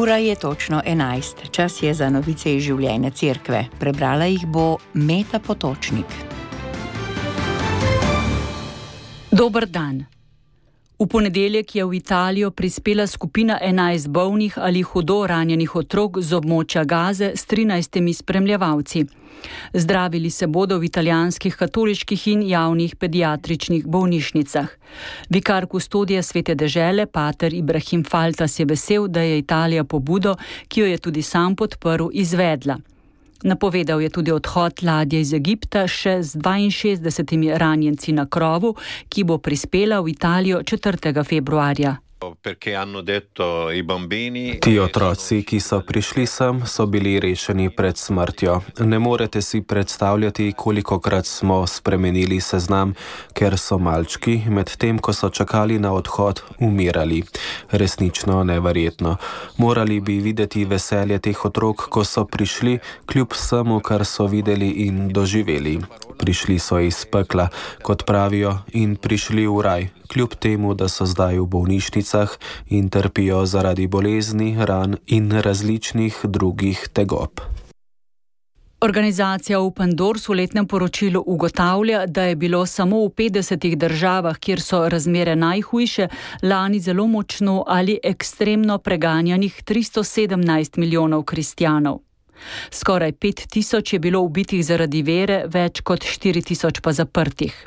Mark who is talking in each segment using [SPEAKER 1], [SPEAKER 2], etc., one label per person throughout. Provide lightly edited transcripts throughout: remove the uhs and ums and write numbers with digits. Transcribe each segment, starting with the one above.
[SPEAKER 1] Ura je točno 11. Čas je za novice iz življenja cerkve. Prebrala jih bo Meta Potočnik.
[SPEAKER 2] Dober dan. V ponedeljek je v Italijo prispela skupina 11 bolnih ali hudo ranjenih otrok z območja Gaze s 13 spremljevalci. Zdravili se bodo v italijanskih katoliških in javnih pediatričnih bolnišnicah. Vikar kustodija Svete dežele, pater Ibrahim Faltas, je vesel, da je Italija pobudo, ki jo je tudi sam podprl, izvedla. Napovedal je tudi odhod ladje iz Egipta še z 62 ranjenci na krovu, ki bo prispela v Italijo 4. februarja.
[SPEAKER 3] Ti otroci, ki so prišli sem, so bili rešeni pred smrtjo. Ne morete si predstavljati, kolikokrat smo spremenili seznam, ker so malčki, medtem ko so čakali na odhod, umirali. Resnično neverjetno. Morali bi videti veselje teh otrok, ko so prišli, kljub vsemu, kar so videli in doživeli. Prišli so iz pekla, kot pravijo, in prišli v raj, kljub temu, da so zdaj v bolnišnicah in trpijo zaradi bolezni, ran in različnih drugih tegob.
[SPEAKER 2] Organizacija Open Doors v letnem poročilu ugotavlja, da je bilo samo v 50 državah, kjer so razmere najhujše, lani zelo močno ali ekstremno preganjanih 317 milijonov kristjanov. Skoraj 5000 je bilo ubitih zaradi vere, več kot 4000 pa zaprtih.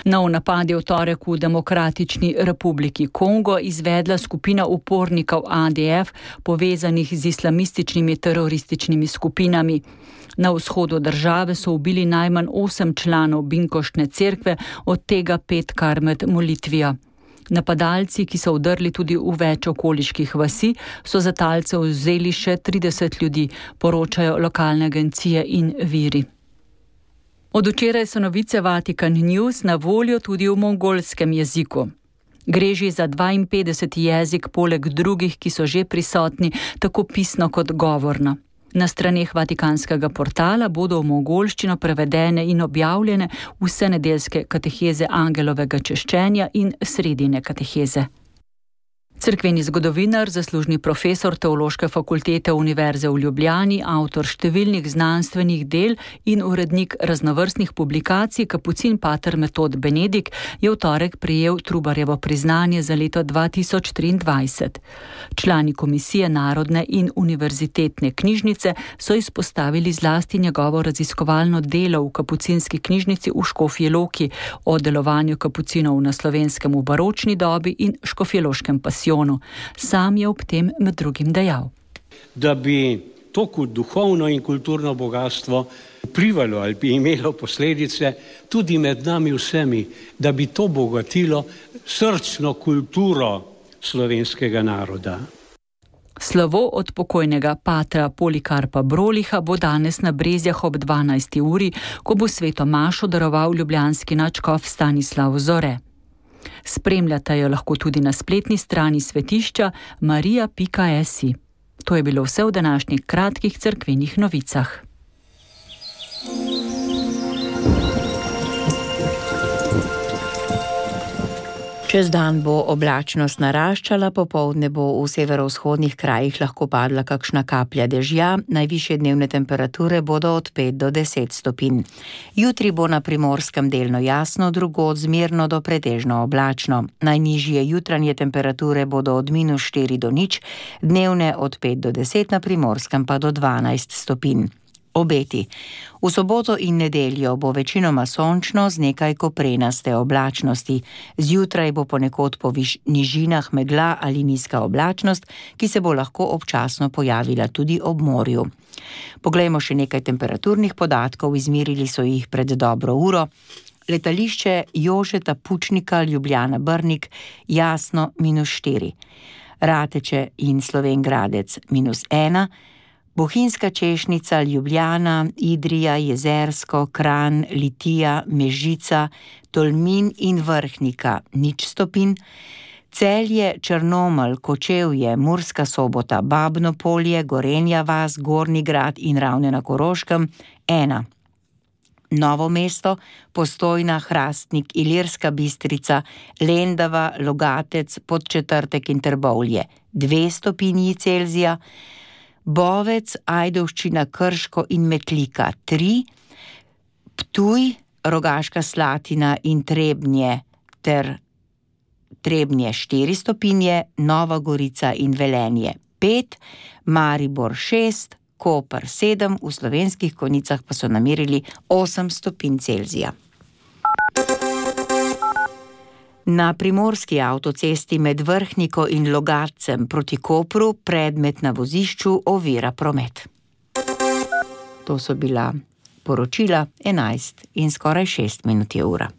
[SPEAKER 2] Nov napad je v torek v Demokratični republiki Kongo izvedla skupina upornikov ADF, povezanih z islamističnimi terorističnimi skupinami. Na vzhodu države so ubili najmanj 8 članov Binkoštne cerkve, od tega 5 kar med molitvijo. Napadalci, ki so vdrli tudi v več okoliških vasi, so za talce vzeli še 30 ljudi, poročajo lokalne agencije in viri. Od včeraj so novice Vatikan News na voljo tudi v mongolskem jeziku. Gre že za 52. jezik poleg drugih, ki so že prisotni, tako pisno kot govorno. Na straneh vatikanskega portala bodo v mongolščino prevedene in objavljene vse nedeljske kateheze angelovega češčenja in sredine kateheze. Cerkveni zgodovinar, zaslužni profesor Teološke fakultete Univerze v Ljubljani, avtor številnih znanstvenih del in urednik raznovrstnih publikacij, kapucin pater Metod Benedik, je v torek prejel Trubarjevo priznanje za leto 2023. Člani komisije Narodne in univerzitetne knjižnice so izpostavili zlasti njegovo raziskovalno delo v kapucinski knjižnici v Škofji Loki o delovanju kapucinov na Slovenskem v baročni dobi in škofjeloškem pasijonu. Sam je ob tem med drugim dejal,
[SPEAKER 4] da bi to duhovno in kulturno bogatstvo vplivalo ali bi imelo posledice tudi med nami vsemi, da bi to bogatilo srčno kulturo slovenskega naroda.
[SPEAKER 2] Slovo od pokojnega patra Polikarpa Broliha bo danes na Brezjah ob 12. uri, ko bo sveto mašo daroval ljubljanski nadškof Stanislav Zore. Spremljate jo lahko tudi na spletni strani svetišča maria.si. To je bilo vse v današnjih kratkih cerkvenih novicah.
[SPEAKER 1] Čez dan bo oblačnost naraščala, popoldne bo v severovzhodnih krajih lahko padla kakšna kaplja dežja, najvišje dnevne temperature bodo od 5 do 10 stopinj. Jutri bo na Primorskem delno jasno, drugod zmerno do pretežno oblačno. Najnižje jutranje temperature bodo od -4 do 0, dnevne od 5 do 10, na Primorskem pa do 12 stopinj. Obeti. V soboto in nedeljo bo večinoma sončno z nekaj koprenaste oblačnosti. Zjutraj bo ponekod po nižinah megla ali nizka oblačnost, ki se bo lahko občasno pojavila tudi ob morju. Poglejmo še nekaj temperaturnih podatkov, izmerili so jih pred dobro uro. Letališče Jožeta Pučnika Ljubljana Brnik jasno -4. Rateče in Slovenj Gradec -1. Bohinjska Češnica, Ljubljana, Idrija, Jezersko, Kranj, Litija, Mežica, Tolmin in Vrhnika 0 stopinj, Celje, Črnomelj, Kočevje, Murska Sobota, Babno Polje, Gorenja vas, Gornji Grad in Ravne na Koroškem 1. Novo mesto, Postojna, Hrastnik, Ilirska Bistrica, Lendava, Logatec, Podčetrtek in Trbovlje 2 stopinji Celzija, Bovec, Ajdovščina, Krško in Metlika 3, Ptuj, Rogaška Slatina in Trebnje ter Trebnje 4 stopinje, Nova Gorica in Velenje 5, Maribor 6, Koper 7, v Slovenskih Konjicah pa so namerili 8 stopinj Celzija. Na primorski avtocesti med Vrhniko in Logatcem proti Kopru predmet na vozišču ovira promet. To so bila poročila 11 in skoraj 6 minut je ura.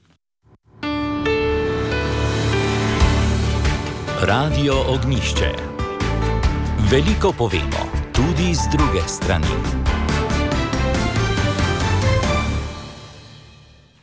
[SPEAKER 5] Radio Ognjišče. Veliko povemo, tudi z druge strani.